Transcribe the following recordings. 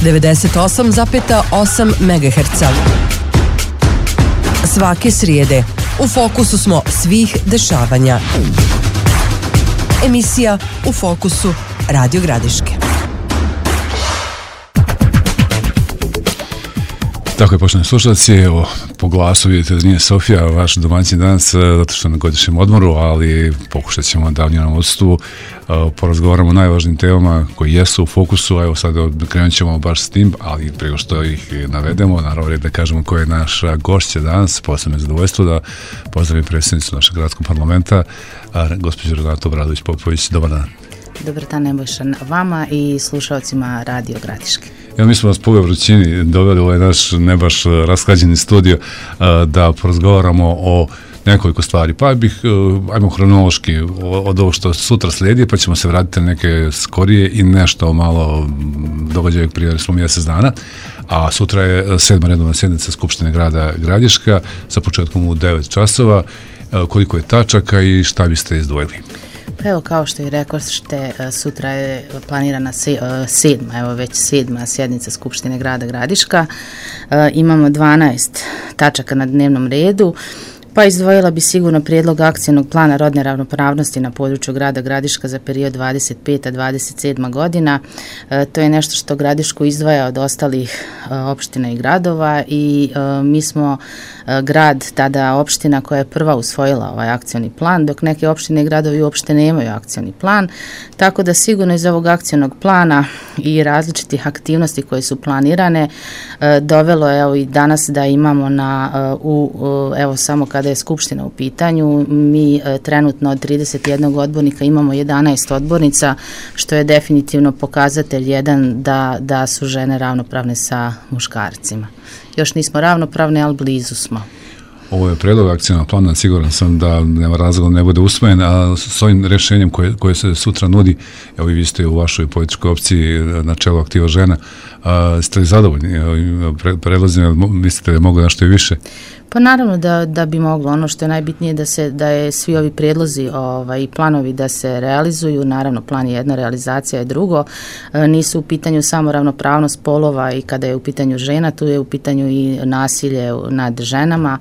98,8 MHz. Svake srijede u fokusu smo svih dešavanja. Emisija U fokusu Radio Gradiške. Tako je, poštovani slušalci, evo, po glasu vidite da nije Sofija, vaš domaćin danas, zato što na godišnjem odmoru, ali pokušat ćemo da u njenom odsustvu porazgovaramo o najvažnijim temama koji jesu u fokusu. Evo sad krenut ćemo baš s tim, ali prije što ih navedemo, naravno da kažemo ko je naša gošća danas. Posebno je zadovoljstvo da pozdravim predsjednicu našeg gradskog parlamenta, gospođu Renatu Obradović-Popović. Dobar dan. Dobar dan, Nebojša, vama i slušalcima Radio Gradiške. Evo, mi smo vas po ovoj vrućini doveli u ovaj naš ne baš rasklađeni studio da porazgovaramo o nekoliko stvari. Pa ajmo hronološki od ovo što sutra slijedi, pa ćemo se vratiti na neke skorije i nešto malo događaja prije smo mjesec dana. A sutra je 7. redovna sjednica Skupštine grada Gradiška sa početkom u 9 časova. Koliko je tačaka i šta biste izdvojili? Evo, kao što i rekoste, sutra je planirana sedma sjednica Skupštine grada Gradiška. Imamo 12 tačaka na dnevnom redu. Pa izdvojila bi sigurno prijedlog akcijnog plana rodne ravnopravnosti na području grada Gradiška za period 25-27 godina. To je nešto što Gradišku izdvaja od ostalih opština i gradova i mi smo grad, tada opština koja je prva usvojila ovaj akcijni plan, dok neke opštine i gradovi uopšte nemaju akcijni plan. Tako da sigurno iz ovog akcijnog plana i različitih aktivnosti koje su planirane dovelo je evo i danas da imamo evo samo kada je Skupština u pitanju, mi trenutno od 31 odbornika imamo 11 odbornica, što je definitivno pokazatelj jedan da su žene ravnopravne sa muškarcima. Još nismo ravnopravne, ali blizu smo. Ovo je predlog akcijnog plana, siguran sam da nema razloga ne bude usvojen, a s ovim rješenjem koje se sutra nudi, evo i vi ste u vašoj političkoj opciji na čelu Aktiva žena, ste li zadovoljni predlozima, mislite da je moglo nešto i više? Pa naravno da bi moglo. Ono što je najbitnije da je svi ovi prijedlozi i planovi da se realizuju. Naravno, plan je jedno, realizacija je drugo. Nisu u pitanju samo ravnopravnost polova i kada je u pitanju žena, tu je u pitanju i nasilje nad ženama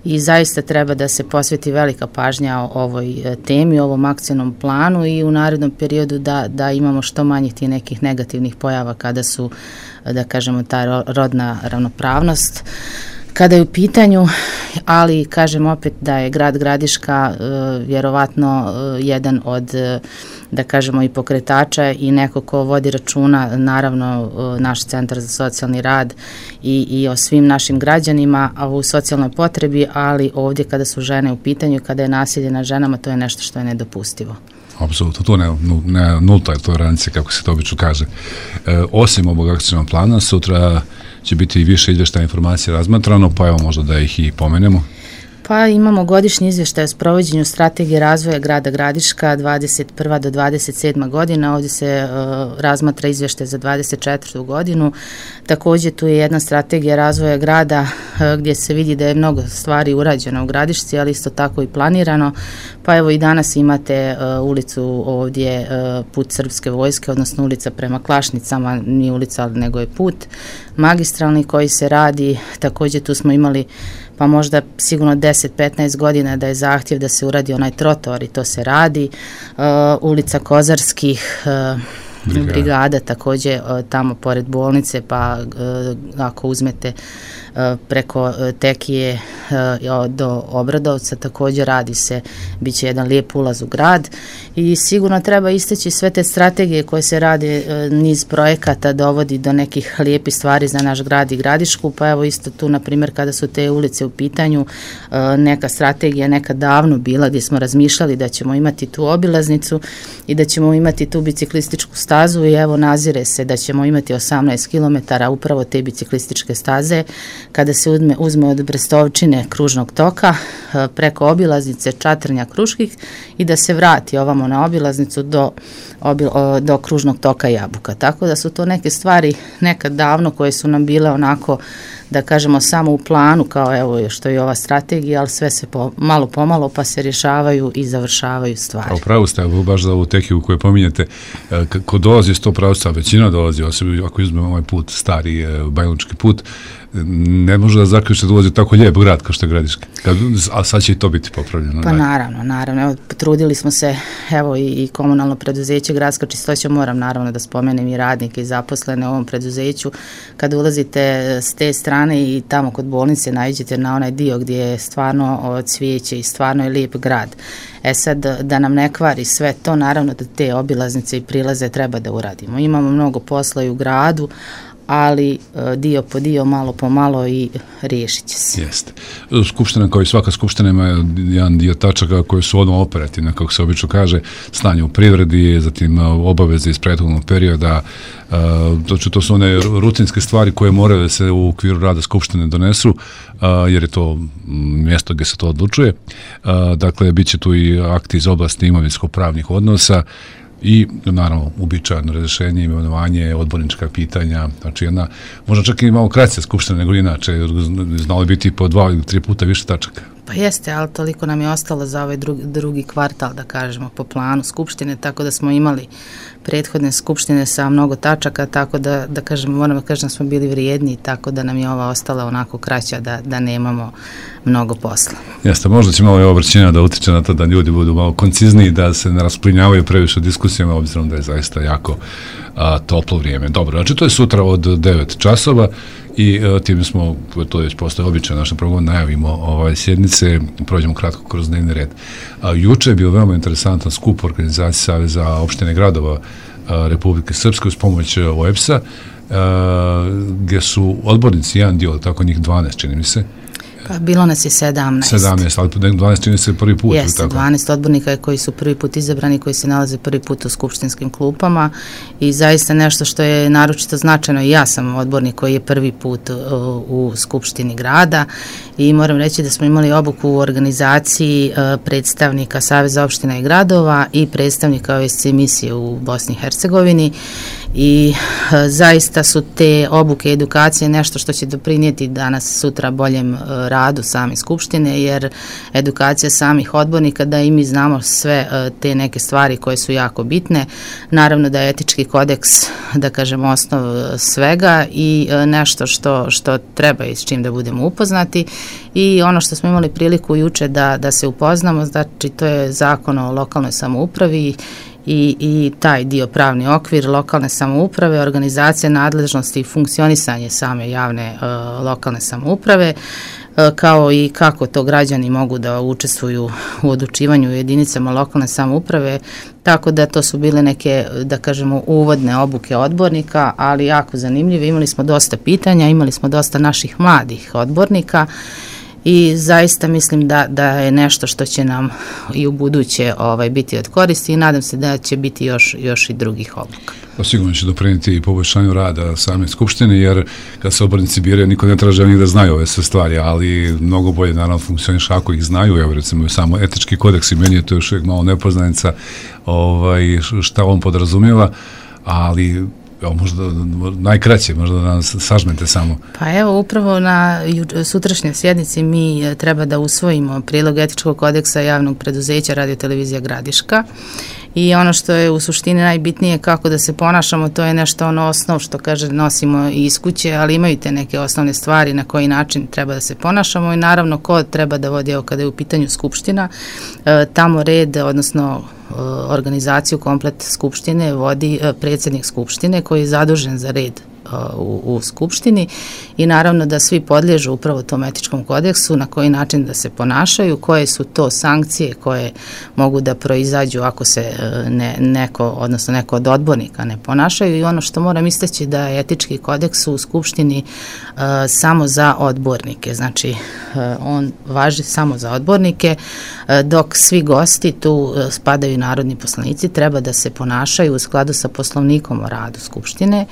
i zaista treba da se posveti velika pažnja ovoj temi, ovom akcijnom planu i u narednom periodu da imamo što manje tih nekih negativnih pojava kada su, da kažemo, ta rodna ravnopravnost. Kada je u pitanju, ali kažem opet da je grad Gradiška vjerovatno jedan od, da kažemo, i pokretača i neko ko vodi računa, naravno naš Centar za socijalni rad i o svim našim građanima, a u socijalnoj potrebi, ali ovdje kada su žene u pitanju, kada je nasilje nad ženama, to je nešto što je nedopustivo. Apsolutno, to ne nulta je tolerancija, kako se to obično kaže. Osim ovog akcijnog plana, sutra će biti i više izvještaja informacija razmatrano, pa evo možda da ih i pomenemo. Pa imamo godišnji izvještaj o sprovođenju strategije razvoja grada Gradiška 21. do 27. godina. Ovdje se razmatra izvještaj za 24. godinu. Također tu je jedna strategija razvoja grada gdje se vidi da je mnogo stvari urađeno u Gradišci, ali isto tako i planirano. Pa evo i danas imate ulicu ovdje, put Srpske vojske, odnosno ulica prema Klašnicama, nije ulica nego je put magistralni koji se radi. Također tu smo imali pa možda sigurno 10-15 godina da je zahtjev da se uradi onaj trotoar i to se radi. Ulica Kozarskih brigada također tamo pored bolnice, pa ako uzmete preko Tekije do Obradovca također radi se, bit će jedan lijep ulaz u grad i sigurno treba istaći sve te strategije koje se rade, niz projekata dovodi do nekih lijepih stvari za naš grad i Gradišku, pa evo isto tu na primjer kada su te ulice u pitanju, neka strategija nekad davno bila gdje smo razmišljali da ćemo imati tu obilaznicu i da ćemo imati tu biciklističku stazu i evo nazire se da ćemo imati 18 km upravo te biciklističke staze kada se uzme od Brestovčine kružnog toka preko obilaznice Čatrnja Kruških i da se vrati ovamo na obilaznicu do kružnog toka Jabuka. Tako da su to neke stvari nekad davno koje su nam bile onako da kažemo samo u planu kao evo što je ova strategija, ali sve se malo pomalo pa se rješavaju i završavaju stvari. A upravo ste, baš za ovu tehniku koju pominjete, ko dolazi iz tog pravca, većina dolazi, ako izmemo ovaj put, stari bajlonički put, ne može da zaključe da ulazi tako lijep grad kao što je Gradiški, a sad će i to biti popravljeno. Pa naravno, evo, potrudili smo se, evo i komunalno preduzeće Gradska čistoća, moram naravno da spomenem i radnike i zaposlene u ovom preduzeću, kad ulazite s te strane i tamo kod bolnice naiđete na onaj dio gdje je stvarno cvijeće i stvarno je lijep grad. Sad, da nam ne kvari sve to, naravno da te obilaznice i prilaze treba da uradimo. Imamo mnogo posla i u gradu, ali dio po dio, malo po malo i riješit će se. Jeste. Skupština, kao i svaka skupština, ima jedan dio tačaka koje su odmah operativne, kako se obično kaže, stanje u privredi, zatim obaveze iz prethodnog perioda, to su one rutinske stvari koje moraju da se u okviru rada skupštine donesu, jer je to mjesto gdje se to odlučuje. Dakle, bit će tu i akti iz oblasti imovinsko-pravnih odnosa, i naravno uobičajeno razrješenje, imenovanje, odbornička pitanja, znači jedna, možda čak i malo kraća skupština nego inače, znalo biti po 2 ili 3 puta više tačaka. Pa jeste, ali toliko nam je ostalo za ovaj drugi kvartal, da kažemo, po planu skupštine, tako da smo imali prethodne skupštine sa mnogo tačaka, tako da kažemo, moramo da kažem da smo bili vrijedni, tako da nam je ova ostala onako kraća, da nemamo mnogo posla. Jeste, možda će malo i obraćenja da utiče na to da ljudi budu malo koncizniji, da se ne rasplinjavaju previše diskusijama, obzirom da je zaista jako toplo vrijeme. Dobro, znači to je sutra od 9 časova i tim smo, to već postoje običaj našem programu, najavimo sjednice, prođemo kratko kroz dnevni red. Juče je bio veoma interesantan skup organizacije Saveza opštine gradova Republike Srpske uz pomoć OEBS-a, gdje su odbornici, jedan dio, tako njih 12, čini mi se. Pa bilo nas je 17. 17, ali 12 čini se prvi put. Jeste, 12 odbornika koji su prvi put izabrani, koji se nalaze prvi put u skupštinskim klupama i zaista nešto što je naročito značajno. I ja sam odbornik koji je prvi put u skupštini grada i moram reći da smo imali obuku u organizaciji predstavnika Saveza opština i gradova i predstavnika OSCE misije u Bosni i Hercegovini i zaista su te obuke i edukacije nešto što će doprinijeti danas sutra boljem radu same skupštine, jer edukacija samih odbornika, da i mi znamo sve te neke stvari koje su jako bitne. Naravno da je etički kodeks, da kažemo, osnov svega i nešto što treba i s čim da budemo upoznati i ono što smo imali priliku juče da se upoznamo, znači to je zakon o lokalnoj samoupravi i taj dio pravni okvir lokalne samouprave, organizacija nadležnosti i funkcionisanje same javne lokalne samouprave, kao i kako to građani mogu da učestvuju u odlučivanju u jedinicama lokalne samouprave, tako da to su bile neke, da kažemo, uvodne obuke odbornika, ali jako zanimljive. Imali smo dosta pitanja, imali smo dosta naših mladih odbornika i zaista mislim da je nešto što će nam i u buduće biti od koristi i nadam se da će biti još i drugih obuka. Sigurno će doprinijeti i poboljšanju rada same skupštine, jer kad se odbornici biraju, niko ne traže njih da znaju ove sve stvari, ali mnogo bolje naravno funkcioniš ako ih znaju. Evo recimo samo etički kodeks i meni je to još uvijek malo nepoznanica šta on podrazumijeva, ali možda najkraće, možda da nas sažmete samo. Pa evo, upravo na sutrašnjoj sjednici mi treba da usvojimo prilog etičkog kodeksa javnog preduzeća Radio Televizija Gradiška i ono što je u suštini najbitnije kako da se ponašamo, to je nešto osnov što kaže nosimo iz kuće, ali imaju te neke osnovne stvari na koji način treba da se ponašamo i naravno ko treba da vodi, kada je u pitanju skupština, tamo red, odnosno organizaciju komplet skupštine vodi predsjednik skupštine koji je zadužen za red u skupštini i naravno da svi podliježu upravo tom etičkom kodeksu, na koji način da se ponašaju, koje su to sankcije koje mogu da proizađu ako se neko od odbornika ne ponašaju i ono što moram istaći da je etički kodeks u skupštini samo za odbornike, znači on važi samo za odbornike, dok svi gosti, tu spadaju narodni poslanici, treba da se ponašaju u skladu sa poslovnikom o radu skupštine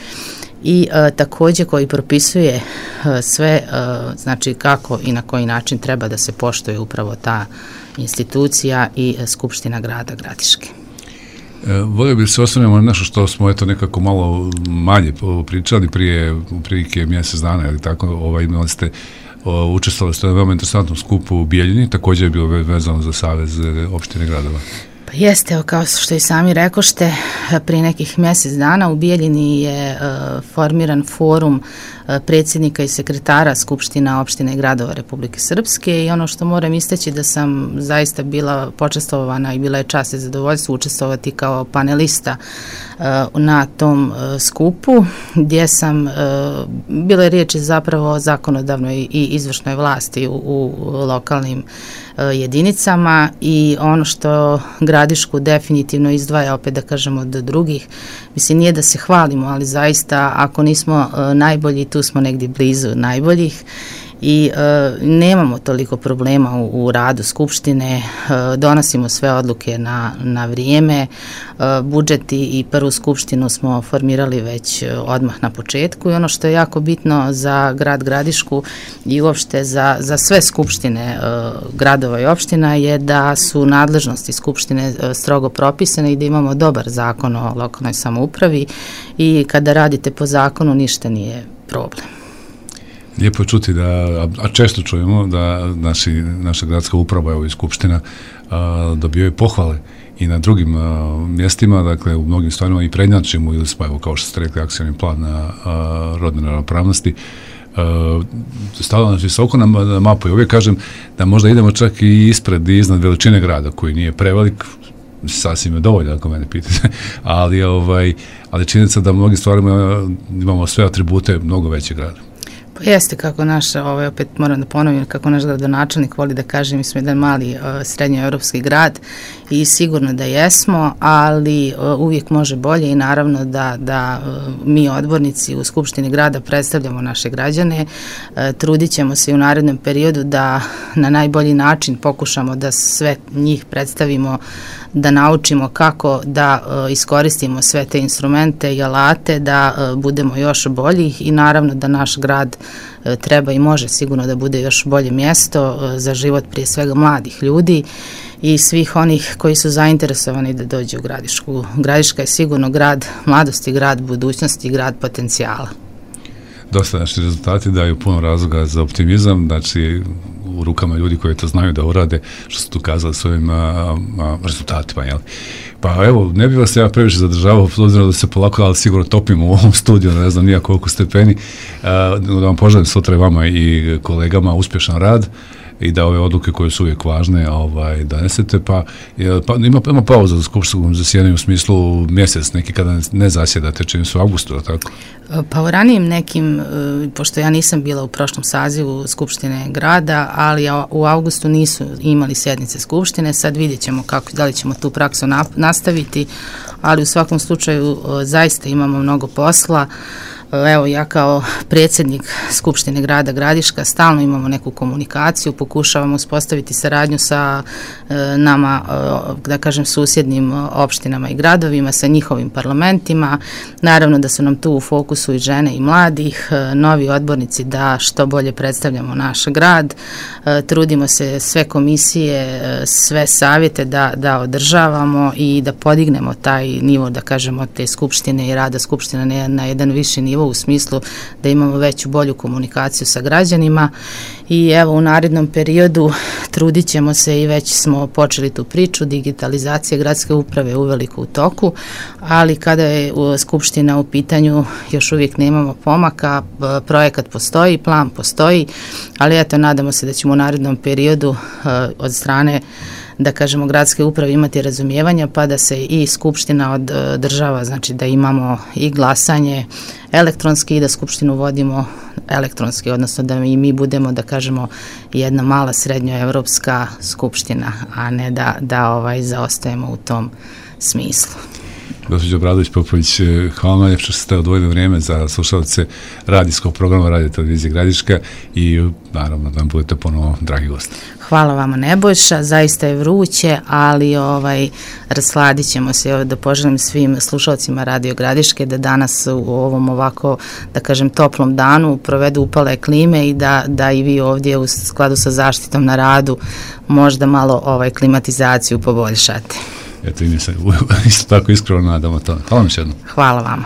i također koji propisuje sve, znači kako i na koji način treba da se poštuje upravo ta institucija i Skupština grada Gradiške. Volio bih se osvrnemo na nešto što smo nekako malo manje pričali prije prilike mjesec dana, ili tako, imali ste, učestvovali ste na veoma interesantnom skupu u Bijeljini, također je bilo vezano za Savez opštine gradova. Jeste, kao što i sami rekošte, prije nekih mjesec dana u Bijeljini je formiran forum predsjednika i sekretara Skupština opštine i gradova Republike Srpske i ono što moram istaći da sam zaista bila počastvovana i bila je čast i zadovoljstvo učestvovati kao panelista na tom skupu gdje sam, bilo je riječi zapravo o zakonodavnoj i izvršnoj vlasti u lokalnim jedinicama i ono što Gradišku definitivno izdvaja, opet da kažemo od drugih, mislim nije da se hvalimo, ali zaista ako nismo najbolji, tu smo negdje blizu najboljih i nemamo toliko problema u radu Skupštine, donosimo sve odluke na vrijeme, budžet i prvu Skupštinu smo formirali već odmah na početku i ono što je jako bitno za grad Gradišku i uopšte za sve skupštine gradova i opština je da su nadležnosti Skupštine strogo propisane i da imamo dobar zakon o lokalnoj samoupravi i kada radite po zakonu ništa nije problem. Lijepo je čuti a često čujemo da naša gradska uprava i skupština dobijaju pohvale i na drugim mjestima, dakle u mnogim stvarima i prednjačimo ili smo, evo kao što ste rekli, akcioni plan na rodne ravnopravnosti, stavljamo nas visoko na mapu i uvijek kažem da možda idemo čak i ispred i iznad veličine grada koji nije prevelik, sasvim je dovoljno ako mene pitate, ali činjenica da u mnogim stvarima imamo sve atribute mnogo većeg grada. Pa jeste kako naš, opet moram da ponovim, kako naš gradonačelnik voli da kaže, mi smo jedan mali srednjoevropski grad i sigurno da jesmo, ali uvijek može bolje i naravno da mi odbornici u Skupštini grada predstavljamo naše građane, trudit ćemo se i u narednom periodu da na najbolji način pokušamo da sve njih predstavimo, da naučimo kako da iskoristimo sve te instrumente i alate, da budemo još bolji i naravno da naš grad treba i može sigurno da bude još bolje mjesto za život prije svega mladih ljudi i svih onih koji su zainteresovani da dođu u Gradišku. Gradiška je sigurno grad mladosti, grad budućnosti, grad potencijala. Dosta naši rezultati daju puno razloga za optimizam, znači u rukama ljudi koji to znaju da urade, što su tu kazali svojim rezultatima, jel? Pa evo, ne bih vas ja previše zadržavao, obzirom da se polako, ali sigurno topimo u ovom studiju, ne znam nija koliko stepeni, da vam poželim sutra vama i kolegama uspješan rad i da ove odluke koje su uvijek važne donesete, pa ima pauza za skupštinskom zasjedanju u smislu mjesec neki kada ne zasjedate, čini se u avgustu, tako? Pa u ranijim nekim, pošto ja nisam bila u prošlom sazivu Skupštine grada, ali u avgustu nisu imali sjednice Skupštine, sad vidjet ćemo da li ćemo tu praksu nastaviti, ali u svakom slučaju zaista imamo mnogo posla. Evo, ja kao predsjednik Skupštine grada Gradiška stalno imamo neku komunikaciju, pokušavamo uspostaviti saradnju sa nama, da kažem, susjednim opštinama i gradovima, sa njihovim parlamentima. Naravno da su nam tu u fokusu i žene i mladih, novi odbornici da što bolje predstavljamo naš grad. Trudimo se sve komisije, sve savjete da održavamo i da podignemo taj nivo, da kažemo, te skupštine i rada skupštine na jedan viši nivo u smislu da imamo veću, bolju komunikaciju sa građanima i evo u narednom periodu trudit ćemo se i već smo počeli tu priču, digitalizacija gradske uprave uveliko u toku, ali kada je Skupština u pitanju još uvijek nemamo pomaka, projekat postoji, plan postoji, ali eto nadamo se da ćemo u narednom periodu od strane, da kažemo, gradske uprave imati razumijevanja pa da se i Skupština održava, znači da imamo i glasanje elektronski i da Skupštinu vodimo elektronski, odnosno da i mi budemo, da kažemo, jedna mala srednjoevropska skupština, a ne da zaostajemo u tom smislu. Gospođo Obradović-Popović, hvala vam što ste odvojili vrijeme za slušalce radijskog programa Radio Televizije Gradiška i naravno da vam budete ponovo dragi gosti. Hvala vama Nebojša, zaista je vruće, ali rasladit ćemo se, da poželim svim slušalcima Radio Gradiške da danas u ovom ovako, da kažem, toplom danu provedu upale klime i da i vi ovdje u skladu sa zaštitom na radu možda malo klimatizaciju poboljšate. eto i mi se isto tako iskreno nadamo to. Hvala vam još jednom. Hvala vama.